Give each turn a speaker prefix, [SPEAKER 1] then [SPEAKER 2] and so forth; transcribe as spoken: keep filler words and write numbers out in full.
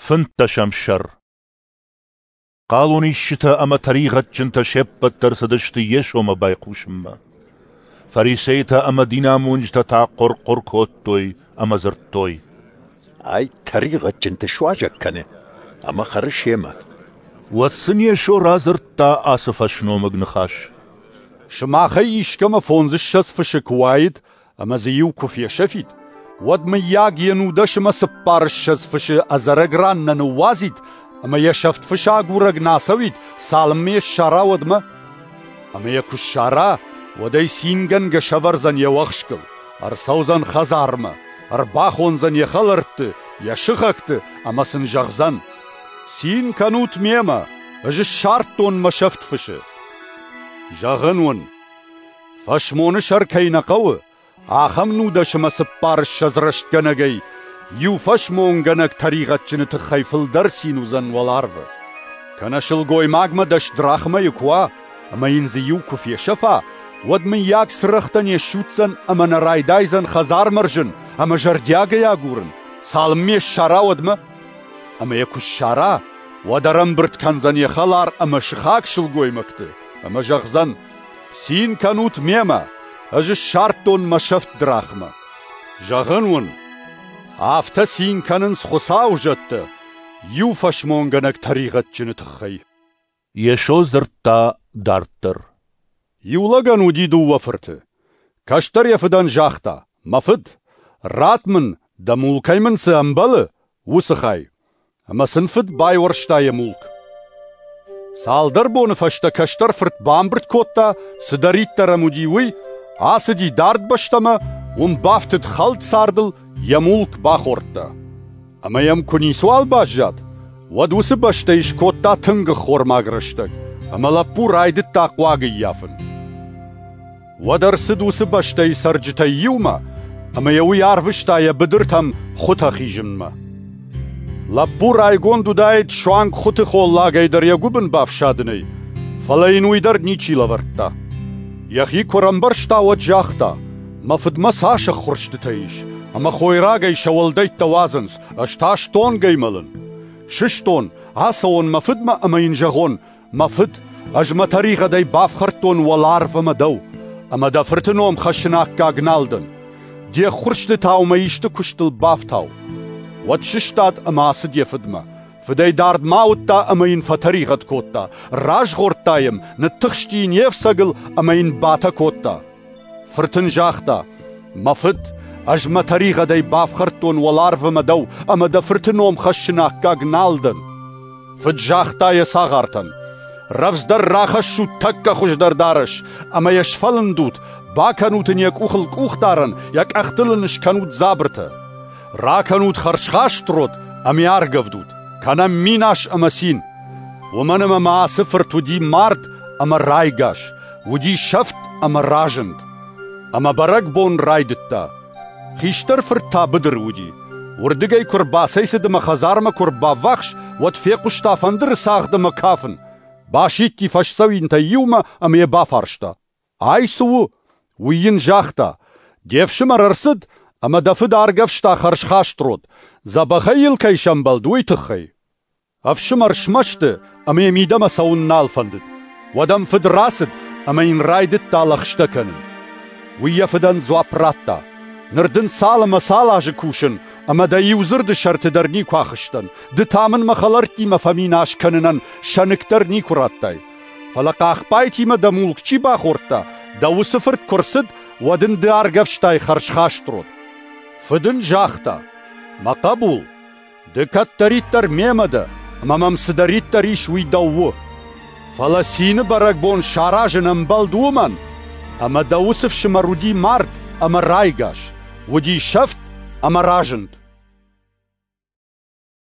[SPEAKER 1] Фынддӕсӕм сӕр. Хъалонисджытӕ ӕмӕ тӕригъӕдджынтӕ се ппӕт дӕр цыдысты Йесомӕ байхъусынмӕ. Фарисейтӕ ӕмӕ динамонджытӕ та хъуыр-хъуыр кодтой ӕмӕ дзырдтой:
[SPEAKER 2] «Ай тӕригъӕдджынты суазӕг кӕны ӕмӕ хӕры семӕ».
[SPEAKER 1] Уӕд сын Йесо радзырдта ацы фӕсномыг ныхас:
[SPEAKER 3] «Сымахӕй искӕмӕ фондзыссӕдз фысы куы уаид ӕмӕ дзы иу куы фесӕфид, уӕд, мыййаг, йе нудӕс ӕмӕ цыппарыссӕдз фысы ӕдзӕрӕг ран нӕ ныууадзид ӕмӕ йӕ сӕфт фысы агурӕг нӕ ацӕуид, цалынмӕ йӕ ссара, уӕдмӕ? Ӕмӕ йӕ куы ссара, уӕд ӕй цингӕнгӕ сӕвӕрдзӕн йӕ уӕхскыл, ӕрцӕудзӕн хӕдзармӕ, ӕрбахондзӕн йӕ хӕлӕртты, йӕ сыхӕгты ӕмӕ сын зӕгъдзӕн: Цин кӕнут мемӕ, ӕз ссардтон мӕ сӕфт фысы. Зӕгъын уын, фӕсмоны сӕр кӕй нӕ хъӕуы, ахӕм нудӕс ӕмӕ цыппарыссӕдз рӕстгӕнӕгӕй иу фӕсмонгӕнӕг тӕригъӕдджыны тыххӕй фылдӕр цин уыдзӕн уӕларвы. Кӕнӕ сылгоймагмӕ дӕс драхмӕйы куы уа, ӕмӕ йын дзы иу куы фесӕфа, уӕд мыййаг цырӕгътӕ не ссудздзӕн ӕмӕ нӕ райдайдзӕн хӕдзар мӕрзын ӕмӕ зӕрдиагӕй агурын, цалынмӕ ссара, уӕдмӕ? Ӕмӕ йӕ куы ссара, уӕд ӕрӕмбырд кӕндзӕн йӕ хӕлар ӕмӕ сыхаг сылгоймӕгты ӕмӕ зӕгъдзӕн: Цин кӕнут мемӕ, ӕз ссардтон мӕ сӕфт драхмӕ. Зӕгъын уын, афтӕ цин кӕнынц Хуыцауы зӕдтӕ иу фӕсмонгӕнӕг тӕригъӕдджыны тыххӕй.
[SPEAKER 1] Йесо дзырдта дарддӕр:
[SPEAKER 3] Иу лӕгӕн уыди дыууӕ фырты. Кӕстӕр йӕ фыдӕн загъта: Мӕ фыд, ратт мын, дӕ мулкӕй мын цы ӕмбӕлы, уыцы хай. Ӕмӕ сын фыд байуӕрста йӕ мулк. Цалдӕр боны фӕстӕ кӕстӕр фырт бамбырд кодта, цыдӕриддӕр ӕм уыди, уый, ацыди дард бӕстӕмӕ, уым бафтыд хӕлд цардыл, йӕ мулк бахордта. Ӕмӕ йӕм куы ницыуал баззад, уӕд уыцы бӕстӕйы скодта тынг ӕххормаг рӕстӕг, ӕмӕ лӕппу райдыдта хъуаг ӕййафын. Уӕд ӕрцыд уыцы бӕстӕйы цӕрджытӕй иумӕ, ӕмӕ йӕ уый арвыста йӕ быдыртӕм хуытӕ хизынмӕ. Лӕппу райгонд уыдаид суанг хуыты холлагӕй дӕр йӕ гуыбын бафсадынӕй, фӕлӕ йын уый дӕр ничи лӕвӕрдта. Йӕхи куы ӕрӕмбӕрста, уӕд загъта: Мӕ фыдмӕ цас ӕххуырстытӕ ис, ӕмӕ хойрагӕй сӕ уӕлдӕйттӕ уадзынц, ӕз та стонгӕй мӕлын. Сыстон, ацӕуон мӕ фыдмӕ ӕмӕ йын зӕгъон: Мӕ фыд, ӕз мӕ тӕригъӕдӕй бафхӕрдтон уӕларв ӕмӕ дӕу, ӕмӕ дӕ фырты ном хӕссын аккаг нал дӕн. Де ххуырстытау мӕ исты куыстыл бафтау. Уӕд сыстад ӕмӕ ацыд йӕ фыдмӕ. Фыдӕй дард ма уыдта ӕмӕ йын фӕтӕригъӕд кодта. Разгъордта йӕм, ныттыхсти йын йе фцӕгыл ӕмӕ йын батӕ кодта. Фырт ын загъта: Мӕ фыд, ӕз мӕ тӕригъӕдӕй бафхӕрдтон уӕларв ӕмӕ дӕу, ӕмӕ дӕ фырты ном хӕссын аккаг нал дӕн. Фыд загъта йӕ цагъартӕн: Рӕвдздӕр рахӕссут тӕккӕ хуыздӕр дарӕс ӕмӕ йӕ сфӕлындут, бакӕнут ын йӕ къухыл къухдарӕн, йӕ къӕхтыл ын скӕнут дзабыртӕ. Ракӕнут хӕрзхаст род ӕмӕ йӕ аргӕвдут, кӕнӕм минас ӕмӕ цин. Уымӕн ӕмӕ мӕ ацы фырт уыди мард ӕмӕ райгас, уыди сӕфт ӕмӕ разынд. Ӕмӕ бӕрӕгбон райдыдта. Хистӕр фырт та быдыры уыди. Уырдыгӕй куы рбацӕйцыд ӕмӕ хӕдзармӕ куы ӕрбаввахс, уӕд фехъуыста фӕндыры цагъд ӕмӕ кафын. Басидти фӕсдзӕуинтӕй иумӕ ӕмӕ йӕ бафарста: Ай цы у? Уый йын загъта: Де фсымӕр ӕрцыд, ӕмӕ дӕ фыд аргӕвста хӕрзхаст род, дзӕбӕхӕй йыл кӕй сӕмбӕлд, уый тыххӕй. Ӕфсымӕр смӕсты ӕмӕ йӕ мидӕмӕ цӕуын нал фӕндыд. Уӕд ӕм фыд рацыд ӕмӕ йын райдыдта лӕгъстӕ кӕнын. Уый йӕ фыдӕн дзуапп радта: Ныр дын цал ӕмӕ цал азы кусын, ӕмӕ дӕ иу дзырды сӕрты дӕр никуы ахызтӕн. Ды та мын мӕ хӕлӕрттимӕ фӕминас кӕнынӕн сӕныкк дӕр никуы радтай. Фӕлӕ хъахбайтимӕ дӕ мулк чи бахордта, дӕ уыцы фырт куы рцыд, уӕд ын ды аргӕвстай хӕрзхаст род. Фыд ын загъта: Мӕ хъӕбул, ды кӕддӕриддӕр мемӕ дӕ, ӕмӕ мӕм цыдӕриддӕр ис, уый дӕу у. Фӕлӕ цины бӕрӕгбон саразын ӕмбӕлд уымӕн, ӕмӕ дӕ уыцы фсымӕр уыди мард ӕмӕ райгас, уыди сӕфт ӕмӕ разынд.